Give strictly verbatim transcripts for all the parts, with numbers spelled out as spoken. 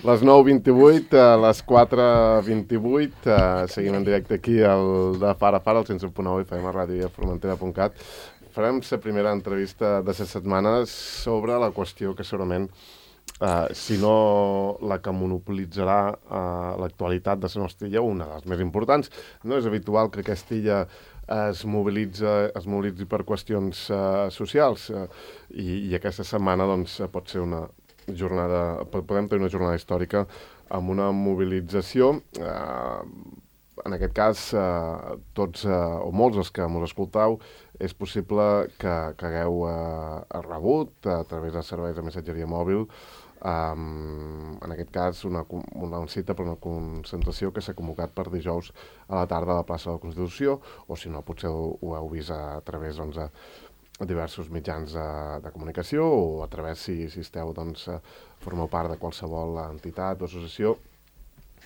Les nou vint-i-vuit, a les quatre vint-i-vuit, uh, seguim en directe aquí al de Fara Fara, al cent set punt nou F M, ràdio i a formentera punt cat. Farem la primera entrevista de les setmanes sobre la qüestió que segurament, uh, si no la que monopolitzarà uh, l'actualitat de la nostra illa, una de les més importants. No és habitual que aquesta illa es mobilitza, es mobilitzi per qüestions uh, socials uh, i, i aquesta setmana doncs, pot ser una jornada, podem tenir una jornada històrica amb una mobilització. Eh, en aquest cas, eh, tots eh, o molts dels que ens escoltau, és possible que, que hagueu eh, rebut a través de serveis de missatgeria mòbil, um, en aquest cas una, una cita per una concentració que s'ha convocat per dijous a la tarda a la plaça de la Constitució, o si no, potser ho, ho heu vist a, a través doncs, a, a diversos mitjans de, de comunicació o a través, si, si esteu, doncs, formeu part de qualsevol entitat o associació.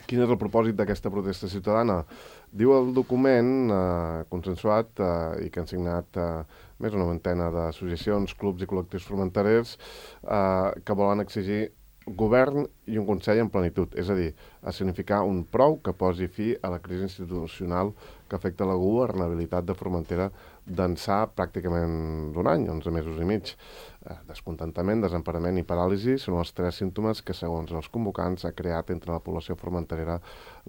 Quin és el propòsit d'aquesta protesta ciutadana? Diu el document eh, consensuat eh, i que han signat eh, més d'una vintena d'associacions, clubs i col·lectius formenterers eh, que volen exigir govern i un Consell en plenitud, és a dir, a significar un prou que posi fi a la crisi institucional que afecta la governabilitat de Formentera d'ençà pràcticament d'un any, onze mesos i mig. Eh, descontentament, desemparament i paràlisi són els tres símptomes que, segons els convocants, ha creat entre la població formenterera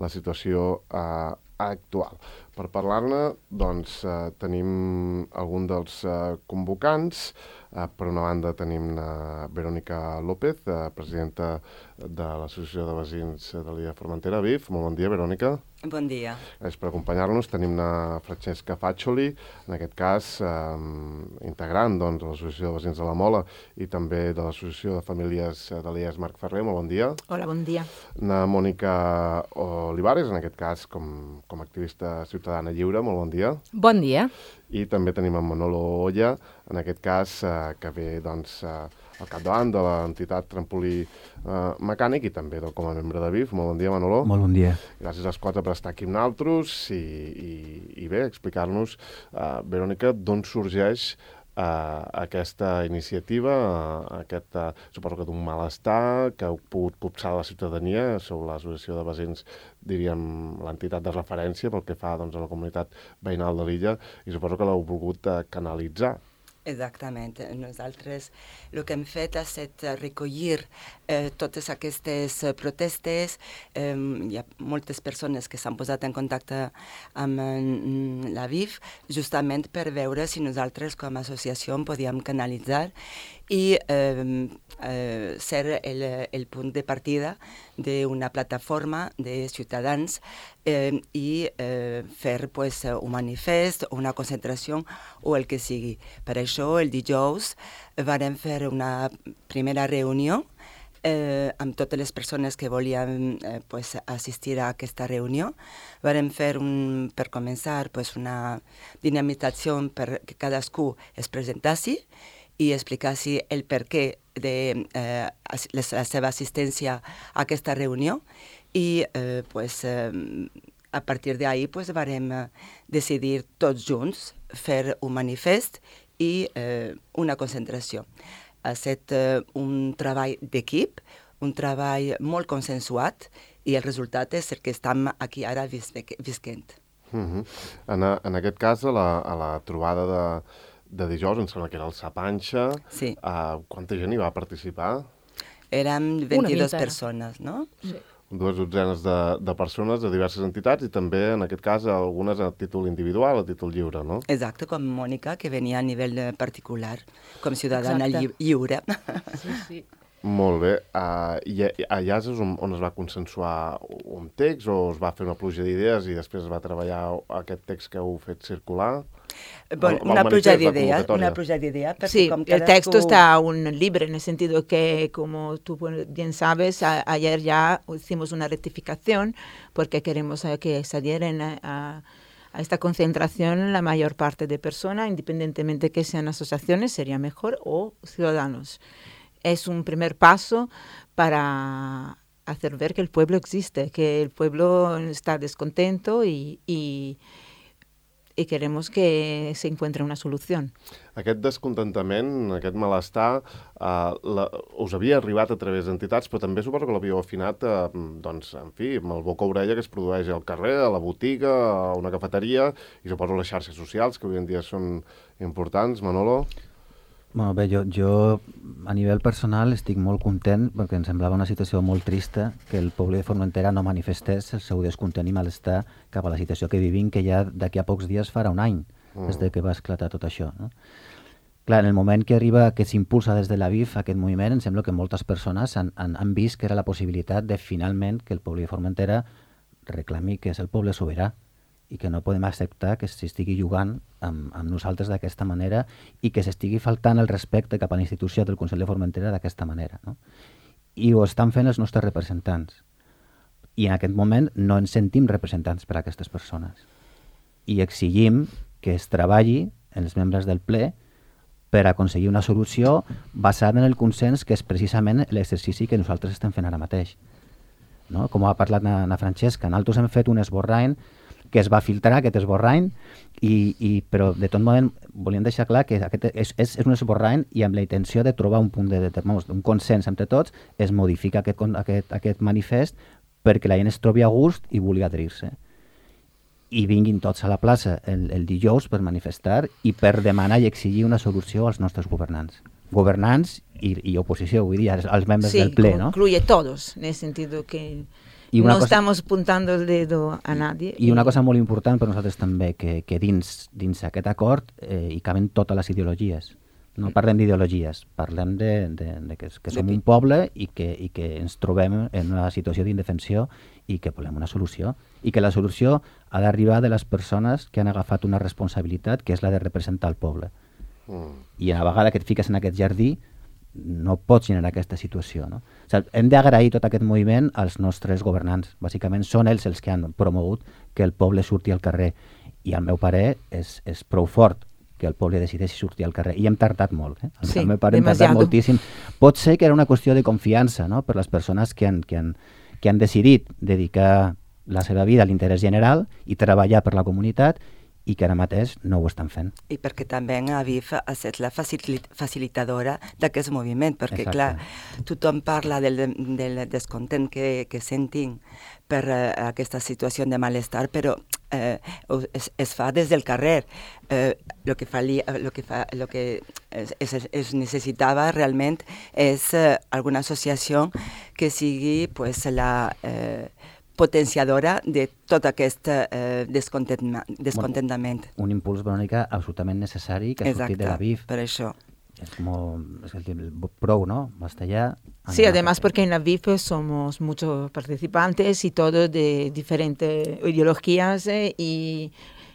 la situació eh, actual. Per parlar-ne, doncs, eh, tenim algun dels eh, convocants. Eh, per una banda tenim eh, Verònica López, eh, presidenta de l'Associació de Veïns de l'Illa de Formentera, V I F. Molt bon dia, Verònica. Bon dia. És per acompanyar-nos tenim una Francesca Faccioli, en aquest cas eh, integrant doncs, de l'Associació de Veïns de la Mola i també de l'Associació de Famílies de l'I E S Marc Ferrer. Molt bon dia. Hola, bon dia. Na Mònica Olivares, en aquest cas com, com a activista ciutadana lliure. Molt bon dia. Bon dia. I també tenim en Manolo Olla, en aquest cas eh, que ve doncs, eh, al capdavant de l'entitat Trampolí eh, Mecànic i també com a membre de V I F. Molt bon dia, Manolo. Molt bon dia. Gràcies als quatre per estar aquí amb nosaltres i, i, i bé, explicar-nos, uh, Verònica, d'on sorgeix uh, aquesta iniciativa, uh, aquest, uh, suposo que d'un malestar que heu pogut copsar la ciutadania sobre l'associació de veïns, diríem, l'entitat de referència pel que fa doncs, a la comunitat veïnal de l'illa, i suposo que l'heu volgut uh, canalitzar. Exactament. Nosaltres el que hem fet ha estat recollir eh, totes aquestes protestes. Eh, hi ha moltes persones que s'han posat en contacte amb eh, la V I F justament per veure si nosaltres com a associació en podíem canalitzar i eh, eh, ser el, el punt de partida d'una plataforma de ciutadans eh, i eh, fer pues, un manifest, una concentració o el que sigui. Per això, el dijous vam fer una primera reunió eh, amb totes les persones que volien eh, pues, assistir a aquesta reunió. Vam fer, un, per començar, pues, una dinamització perquè cadascú es presentessi i explicassi el perquè de eh, la seva assistència a aquesta reunió i eh, pues, eh, a partir d'ahir pues, vam decidir tots junts fer un manifest i eh, una concentració. Ha estat eh, un treball d'equip, un treball molt consensuat i el resultat és el que estem aquí ara visquent. Uh-huh. en, a, en aquest cas, a la, a la trobada de de dijous, em sembla que era el Sapanxa. Sí. Uh, quanta gent hi va participar? Érem vint-i-dues persones, no? Sí. Dues dotzenes de, de persones de diverses entitats i també, en aquest cas, algunes a títol individual, a títol lliure, no? Exacte, com Mònica, que venia a nivell particular, com ciutadana Exacte. lli lliure. Sí, sí. Molt bé. Uh, I allà és on, on es va consensuar un text o es va fer una pluja d'idees i després es va treballar aquest text que heu fet circular? Bueno, El- el una pluja manifest, la de ideas, convocatoria. una pluja de ideas, porque Sí, como el cada texto cu- está aún libre en el sentido que, como tú bien sabes, a- ayer ya hicimos una rectificación porque queremos eh, que se adhieren a, a- a esta concentración la mayor parte de personas, independientemente que sean asociaciones, sería mejor, o ciudadanos. Es un primer paso para hacer ver que el pueblo existe, que el pueblo está descontento y, y y queremos que se encuentre una solución. Aquest descontentament, aquest malestar, eh, la, us havia arribat a través d'entitats, però també suposo que l'havíeu afinat, eh, doncs, en fi, amb el boca-orella que es produeix al carrer, a la botiga, a una cafeteria, i suposo les xarxes socials, que avui en dia són importants. Manolo? Bueno, bé, jo, jo a nivell personal estic molt content perquè em semblava una situació molt trista que el poble de Formentera no manifestés el seu descontent i malestar cap a la situació que vivim, que ja d'aquí a pocs dies farà un any, mm. des de que va esclatar tot això, no? Clar, en el moment que arriba, que s'impulsa des de l'A V I F aquest moviment, em sembla que moltes persones han, han, han vist que era la possibilitat de finalment que el poble de Formentera reclami que és el poble sobirà i que no podem acceptar que s'estigui jugant amb, amb nosaltres d'aquesta manera i que s'estigui faltant el respecte cap a la institució del Consell de Formentera d'aquesta manera, no? I ho estan fent els nostres representants. I en aquest moment no ens sentim representants per a aquestes persones. I exigim que es treballi en els membres del ple per aconseguir una solució basada en el consens, que és precisament l'exercici que nosaltres estem fent ara mateix. No? Com ha parlat na, na Francesca, nosaltres hem fet un esborrany que es va filtrar, aquest esborrany, i, i, però de tot moment volíem deixar clar que aquest és, és, és un esborrany i amb la intenció de trobar un punt de, de, de un consens entre tots, es modifica aquest, aquest, aquest manifest perquè la gent es trobi a gust i vulgui adherir-se. I vinguin tots a la plaça el, el dijous per manifestar i per demanar i exigir una solució als nostres governants. Governants i, i oposició, vull dir, als, als membres sí, del ple, ¿no? Incluye todos, en el sentido que no cosa, estamos apuntando el dedo a nadie. I una cosa molt important per nosaltres també, que, que dins, dins aquest acord eh, hi caben totes les ideologies. No parlem d'ideologies, parlem de, de, de que, que som un poble i que, i que ens trobem en una situació d'indefensió i que volem una solució. I que la solució ha d'arribar de les persones que han agafat una responsabilitat, que és la de representar el poble. Mm. I a la vegada que et fiques en aquest jardí, no pots generar aquesta situació, no? O sigui, hem d'agrair tot aquest moviment als nostres governants. Bàsicament són ells els que han promogut que el poble surti al carrer. I al meu parer és, és prou fort que el poble decideixi sortir al carrer. I hem tardat molt, eh? Sí, al meu parer hem tardat moltíssim. Pot ser que era una qüestió de confiança, no?, per les persones que han, que han, que han decidit dedicar la seva vida a l'interès general i treballar per la comunitat, i que ara mateix no ho estan fent. I perquè també A V I F ha estat la facilitadora d'aquest moviment, perquè, exacte, clar, tothom parla del, del descontent que, que sentim per uh, aquesta situació de malestar, però eh, es, es fa des del carrer. Eh, lo que, fa, lo que, fa, lo que es, es, es necessitava realment és uh, alguna associació que sigui pues, la... Eh, potenciadora de tot aquest eh, descontentament. Bueno, un impuls, Verònica, absolutament necessari que ha sortit de l'A V I F. Per això. Es como es el, el pro, ¿no? Basta ya. Sí, además porque en la V I F somos muchos participantes y todos de diferentes ideologías eh, y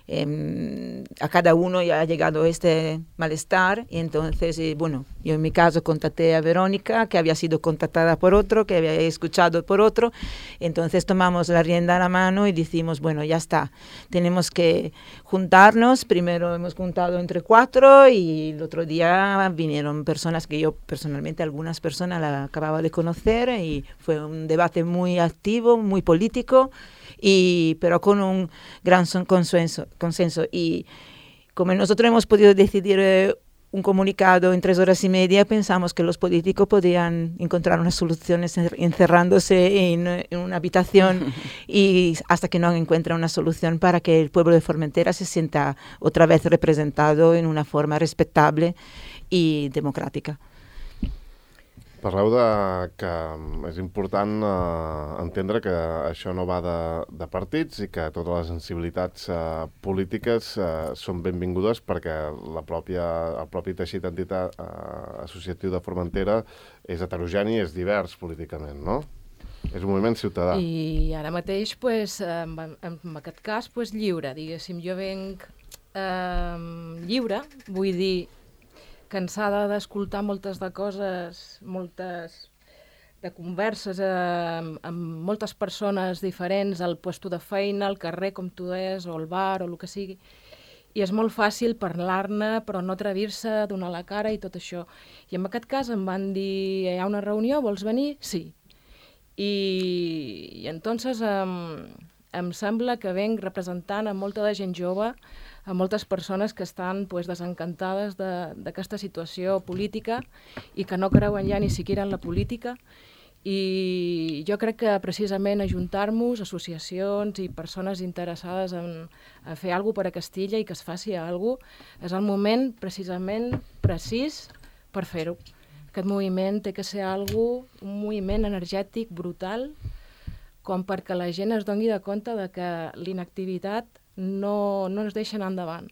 eh, a cada uno ya ha llegado este malestar y entonces, eh, bueno, yo en mi caso contacté a Verónica, que había sido contactada por otro, que había escuchado por otro, entonces tomamos la rienda a la mano y decimos, bueno, ya está, tenemos que juntarnos, primero hemos juntado entre cuatro y el otro día vinieron personas que yo personalmente, algunas personas las acababa de conocer y fue un debate muy activo, muy político, y pero con un gran consenso, consenso. Y como nosotros hemos podido decidir eh, un comunicado en tres horas y media, pensamos que los políticos podían encontrar unas soluciones encerrándose en, en una habitación y hasta que no encuentran una solución para que el pueblo de Formentera se sienta otra vez representado en una forma respetable y democrática. Parleu de que és important eh, entendre que això no va de, de partits i que totes les sensibilitats eh, polítiques eh, són benvingudes perquè la pròpia, el propi teixit entitat eh, associatiu de Formentera és heterogeni i és divers políticament, no? És un moviment ciutadà. I ara mateix, pues, en, en aquest cas, pues, lliure, diguéssim. Jo venc eh, lliure, vull dir, cansada d'escoltar moltes de coses, moltes de converses eh, amb, amb moltes persones diferents al puesto de feina, al carrer, com tu deies, o al bar, o el que sigui. I és molt fàcil parlar-ne, però no atrevir-se, donar la cara i tot això. I en aquest cas em van dir, hi ha una reunió, vols venir? Sí. I, i entonces em, em sembla que venc representant a molta de gent jove, a moltes persones que estan pues, desencantades d'aquesta situació política i que no creuen ja ni siquiera en la política. I jo crec que precisament ajuntar-nos, associacions i persones interessades en, en fer alguna cosa per a Castilla i que es faci alguna cosa, és el moment precisament precís per fer-ho. Aquest moviment té que ser alguna cosa, un moviment energètic brutal, com perquè la gent es doni de compte de que l'inactivitat no, no ens deixa anar endavant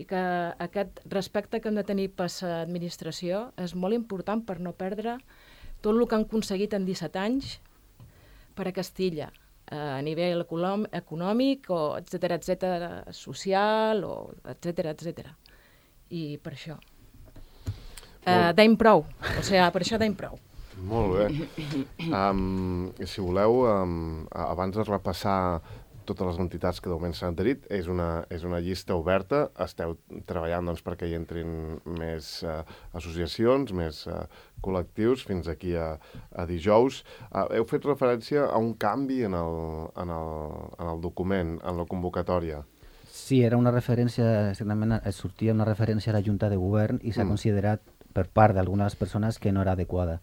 i que aquest respecte que hem de tenir per l'administració és molt important per no perdre tot el que han aconseguit en disset anys per a Castilla, a nivell econòmic, o etcètera, etcètera, social, o etcètera, etcètera. I per això. Uh, deim prou, o sigui, per això deim prou. Molt bé. Um, si voleu, um, abans de repassar totes les entitats que de moment s'han adherit, és una, és una llista oberta, esteu treballant doncs, perquè hi entrin més uh, associacions, més uh, col·lectius, fins aquí a, a dijous. Uh, heu fet referència a un canvi en el, en el, en el document, en la convocatòria. Sí, era una referència, exactament, sortia una referència a la Junta de Govern i s'ha mm. considerat per part d'algunes persones que no era adequada,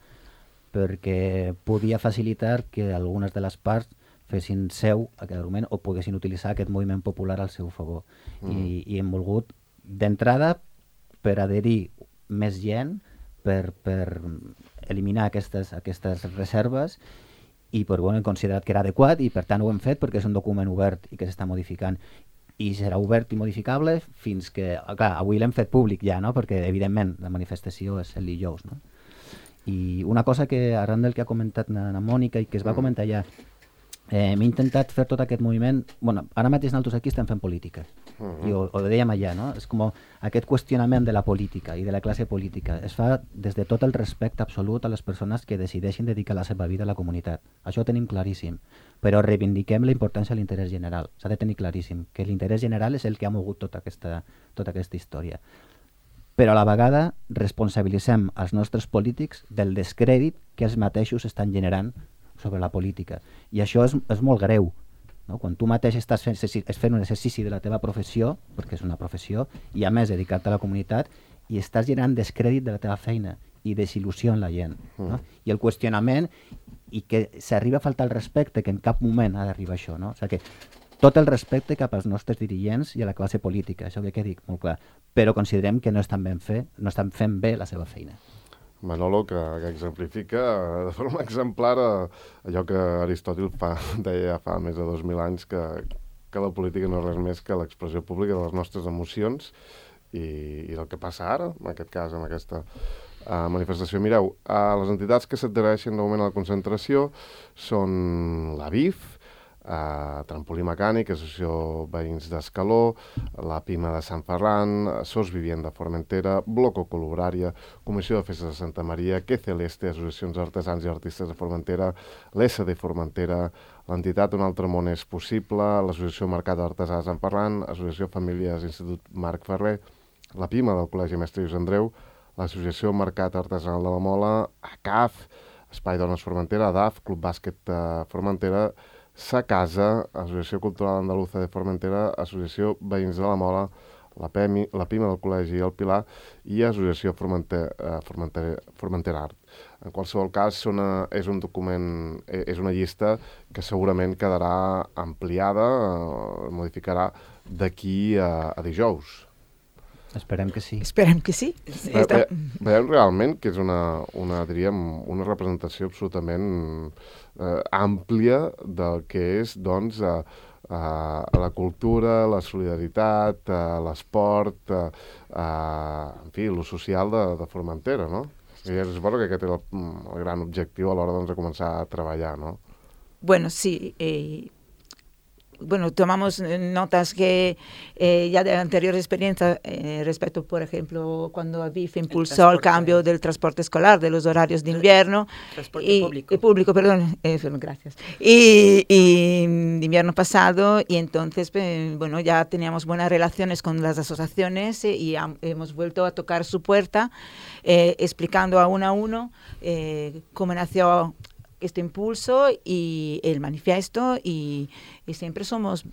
perquè podia facilitar que algunes de les parts fessin seu aquest argument o poguessin utilitzar aquest moviment popular al seu favor. Mm. I, i hem volgut, d'entrada, per adherir més gent, per, per eliminar aquestes, aquestes reserves i per, bueno, hem considerat que era adequat i per tant ho hem fet perquè és un document obert i que s'està modificant. I serà obert i modificable fins que... Clar, avui l'hem fet públic ja, no? Perquè evidentment la manifestació és el dijous, no? I una cosa que arran del que ha comentat na, na Mònica i que es va comentar ja, eh, m'he intentat fer tot aquest moviment. Bueno, ara mateix nosaltres aquí estem fent política, uh-huh. i ho, ho dèiem allà, no? És com aquest qüestionament de la política i de la classe política es fa des de tot el respecte absolut a les persones que decideixin dedicar la seva vida a la comunitat. Això ho tenim claríssim, però reivindiquem la importància de l'interès general. S'ha de tenir claríssim que l'interès general és el que ha mogut tota aquesta, tota aquesta història. Però a la vegada responsabilitzem els nostres polítics del descrèdit que els mateixos estan generant sobre la política. I això és, és molt greu, no? Quan tu mateix estàs fent, fent un exercici de la teva professió, perquè és una professió, i a més dedicar-te a la comunitat, i estàs generant descrèdit de la teva feina i desil·lusió en la gent. No? Mm. I el qüestionament, i que s'arriba a faltar el respecte, que en cap moment ha d'arribar això. No? O sigui que tot el respecte cap als nostres dirigents i a la classe política, això que quedi molt clar, però considerem que no estan ben fer, no estan fent bé la seva feina. Manolo, que, que exemplifica de forma exemplar allò que Aristòtil fa, deia fa més de dos mil anys, que, que la política no és res més que l'expressió pública de les nostres emocions i, i del que passa ara, en aquest cas, en aquesta uh, manifestació. Mireu, uh, les entitats que s'adhereixen de moment a la concentració són la B I F, Uh, Trampolí Mecànic, Associació Veïns d'Escaló, la Pima de Sant Ferran, Sos Vivient de Formentera, Bloco Col·lubrària, Comissió de Festes de Santa Maria, Que Celeste, Associacions d'Artesans i Artistes de Formentera, l'S de Formentera, l'entitat Un Altre Món és Possible, l'Associació Mercat d'Artesà de Sant Ferran, Associació Famílies Institut Marc Ferrer, la Pima del Col·legi Mestre Lluís Andreu, l'Associació Mercat Artesanal de la Mola, A C A F, Espai Dones Formentera, A D A F, Club Bàsquet de Formentera, Sa Casa, Associació Cultural Andaluza de Formentera, Associació Veïns de la Mola, la, P M I, la Pima del Col·legi El Pilar i Associació Formentera, Formentera, Formentera Art. En qualsevol cas, una, és un document, és una llista que segurament quedarà ampliada, eh, modificarà d'aquí a, a dijous. Esperem que sí. Esperem que sí. sí Ve, ve, veiem realment que és una, una, diríem, una representació absolutament eh, àmplia del que és, doncs, eh, eh, la cultura, la solidaritat, eh, l'esport, eh, eh, en fi, lo social de, de Formentera, no? I és bo que aquest és el, el gran objectiu a l'hora, doncs, de començar a treballar, no? Bueno, sí, eh... Bueno, tomamos notas que eh, ya de anterior experiencia eh, respecto, por ejemplo, cuando A B I F impulsó el, el cambio del transporte escolar, de los horarios de invierno. Transporte y, público. Eh, público, perdón, eh, gracias. Y, y de invierno pasado, y entonces, eh, bueno, ya teníamos buenas relaciones con las asociaciones eh, y ha, hemos vuelto a tocar su puerta, eh, explicando a uno a uno eh, cómo nació este impulso y el manifiesto y, y siempre somos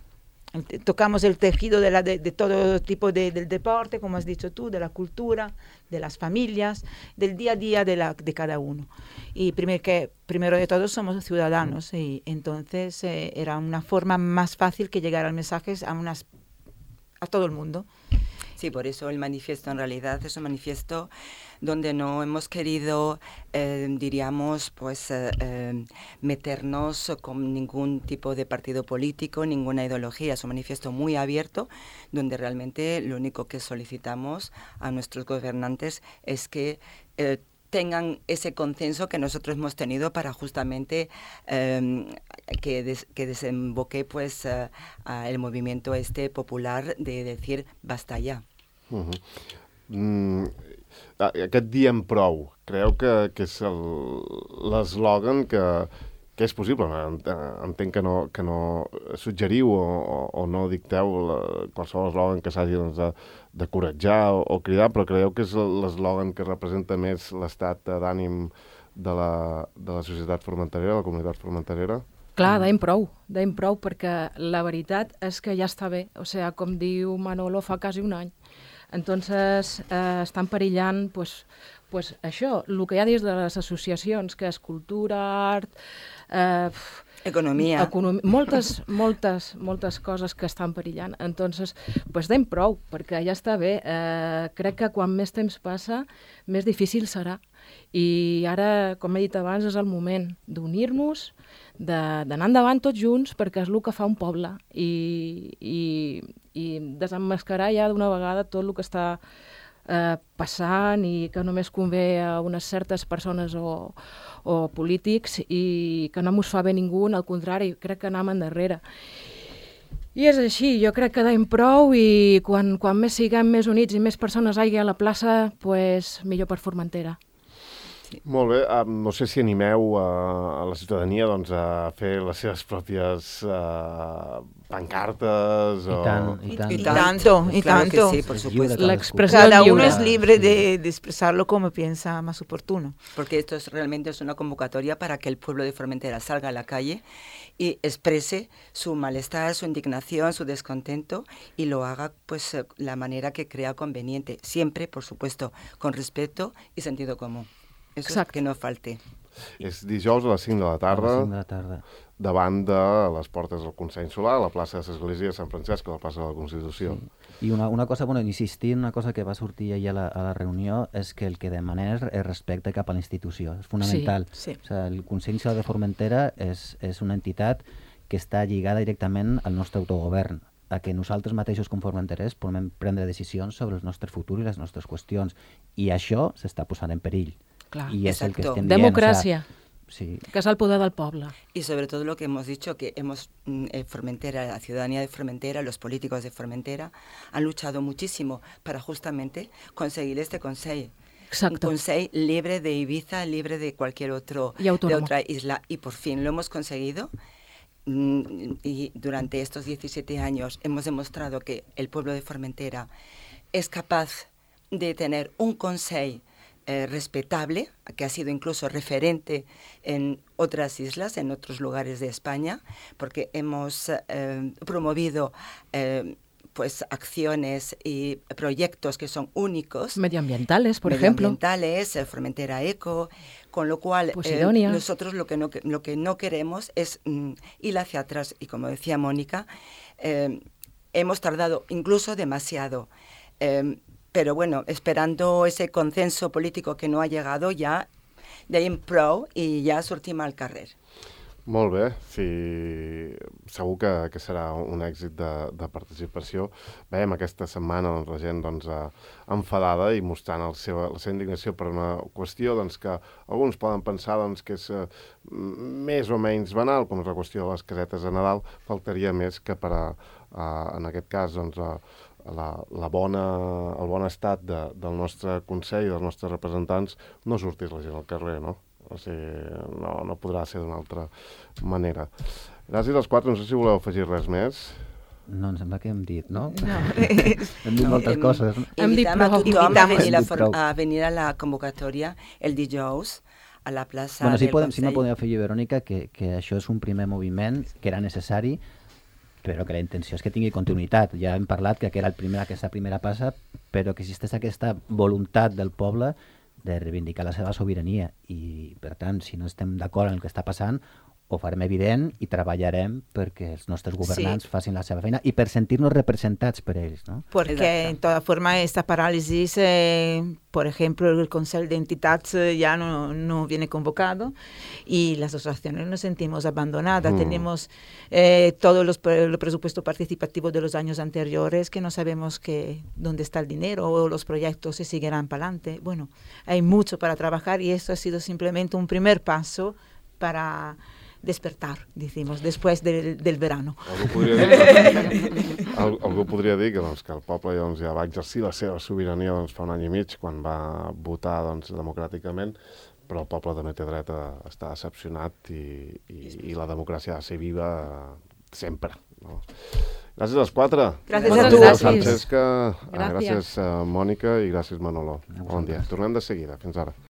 tocamos el tejido de, la, de, de todo tipo de, del deporte, como has dicho tú, de la cultura, de las familias, del día a día de, la, de cada uno. Y primer que, primero de todo somos ciudadanos y entonces eh, era una forma más fácil que llegar al mensaje a, unas, a todo el mundo. Sí, por eso el manifiesto en realidad es un manifiesto donde no hemos querido, eh, diríamos, pues eh, eh, meternos con ningún tipo de partido político, ninguna ideología. Es un manifiesto muy abierto, donde realmente lo único que solicitamos a nuestros gobernantes es que eh, tengan ese consenso que nosotros hemos tenido para justamente eh, que, des, que desemboque pues uh, uh, el movimiento este popular de decir basta ya. Uh-huh. Mm, aquest diem prou, creu que, que és l'eslògan que, que és possible? Entenc que no, que no suggeriu o, o, o no dicteu la, qualsevol eslògan que s'hagi doncs, de, de coratjar o, o cridar, però creieu que és l'eslògan que representa més l'estat d'ànim de la, de la societat formenterera, de la comunitat formenterera? Clar, deim prou, deim prou, perquè la veritat és que ja està bé. O sigui, com diu Manolo, fa quasi un any. Entonces, eh, estan perillant pues, pues això, el que hi ha dins de les associacions, que és cultura, art... Eh, Economia. Economia, moltes, moltes, moltes coses que estan perillant. Entonces, pues deim prou, perquè ja està bé. Eh, crec que quan més temps passa, més difícil serà. I ara, com he dit abans, és el moment d'unir-nos, d'anar endavant tots junts, perquè és el que fa un poble. I, i, i desemmascarar ja d'una vegada tot el que està eh, passant i que només convé a unes certes persones o, o polítics i que no mos fa bé ningú, al contrari, crec que anem endarrere. I és així, jo crec que deim prou i quan, quan més siguem més units i més persones hi ha a la plaça, pues, millor per Formentera. Sí. Molt bé, um, no sé si animeu a, a la ciutadania doncs, a fer les seves pròpies uh, pancartes I o... tant, i tant. Y tanto, y claro tanto. que sí, por supuesto. La expresión Cada uno libre. es libre de, de expresarlo como piensa más oportuno. Porque esto es realmente es una convocatoria para que el pueblo de Formentera salga a la calle y exprese su malestar, su indignación, su descontento y lo haga pues la manera que crea conveniente, siempre, por supuesto, con respeto y sentido común. Eso es que no falte. És dijous a les cinc de la tarda, A les cinc de la tarda. davant de les portes del Consell Solar, a la plaça de l'Església de Sant Francesc, a la plaça de la Constitució. Sí. I una, una cosa, bueno, insistir en una cosa que va sortir ahir a la, a la reunió és que el que demanem és respecte cap a la institució. És fonamental. Sí, sí. O sigui, el Consell Solar de Formentera és, és una entitat que està lligada directament al nostre autogovern, a que nosaltres mateixos com formenterers podem prendre decisions sobre el nostre futur i les nostres qüestions. I això s'està posant en perill. Clar, y es el que exacto. estén Democracia, bien, o sea, sí. que es el poder del poble. Y sobre todo lo que hemos dicho, que hemos eh, Formentera, la ciudadanía de Formentera, los políticos de Formentera, han luchado muchísimo para justamente conseguir este consejo. Exacto. Un consejo libre de Ibiza, libre de cualquier otro, Y de autónomo. otra isla. Y por fin lo hemos conseguido. Y durante estos diecisiete años hemos demostrado que el pueblo de Formentera es capaz de tener un consejo Eh, respetable, que ha sido incluso referente en otras islas, en otros lugares de España, porque hemos eh, promovido eh, pues acciones y proyectos que son únicos. Medioambientales, por ejemplo. Medioambientales, eh, Formentera Eco, con lo cual Posidonia. eh, nosotros lo que, no, lo que no queremos es mm, ir hacia atrás. Y como decía Mónica, eh, hemos tardado incluso demasiado. Eh, Pero bueno, esperando ese consenso político que no ha llegado, ja deim prou i ja sortim al carrer. Molt bé, sí, segur que, que serà un èxit de, de participació. Veiem aquesta setmana doncs, la gent doncs, enfadada i mostrant el seu, la seva indignació per una qüestió doncs, que alguns poden pensar doncs, que és eh, més o menys banal, com és la qüestió de les casetes de Nadal. Faltaria més que per a, a, en aquest cas, doncs, a, La, la bona, el bon estat de, del nostre Consell i dels nostres representants no sortís la gent al carrer, no? O sigui, no, no podrà ser d'una altra manera. Gràcies als quatre, no sé si voleu afegir res més. No, em sembla que hem dit, no? No. hem dit No, moltes hem, coses. Hem dit Invitam a prou. tothom a venir, Hem a, dit for, prou. a venir a la convocatòria el dijous a la plaça Bueno, sí, del podem, sí me Consell. podem afegir, Verònica, que, que això és un primer moviment que era necessari però que la intenció és que tingui continuïtat. Ja hem parlat que era el primer, aquesta primera passa, però que existeix aquesta voluntat del poble de reivindicar la seva sobirania i, per tant, si no estem d'acord en el que està passant, ho farem evident i treballarem perquè els nostres governants sí. facin la seva feina y per sentirnos representados por ellos, ¿no? Porque, exacto. En toda forma, esta parálisis, eh, por ejemplo, el Consejo de Entidades eh, ya no, no viene convocado y las asociaciones nos sentimos abandonadas. Mm. Tenemos eh, todos los el presupuesto participativo de los años anteriores que no sabemos que, dónde está el dinero o los proyectos se seguirán para adelante. Bueno, hay mucho para trabajar y esto ha sido simplemente un primer paso para despertar, decimos, després del, del verano. Algú podria dir, al, algú podria dir que, doncs, que el poble doncs, ja va exercir la seva sobirania doncs, fa un any i mig, quan va votar doncs, democràticament, però el poble també té dret a estar decepcionat i, i, i la democràcia ha de ser viva sempre. No? Gràcies als quatre. Gràcies a tu. Gràcies, Francesca, gràcies, gràcies Mònica i gràcies Manolo. Bon dia. Tornem de seguida. Fins ara.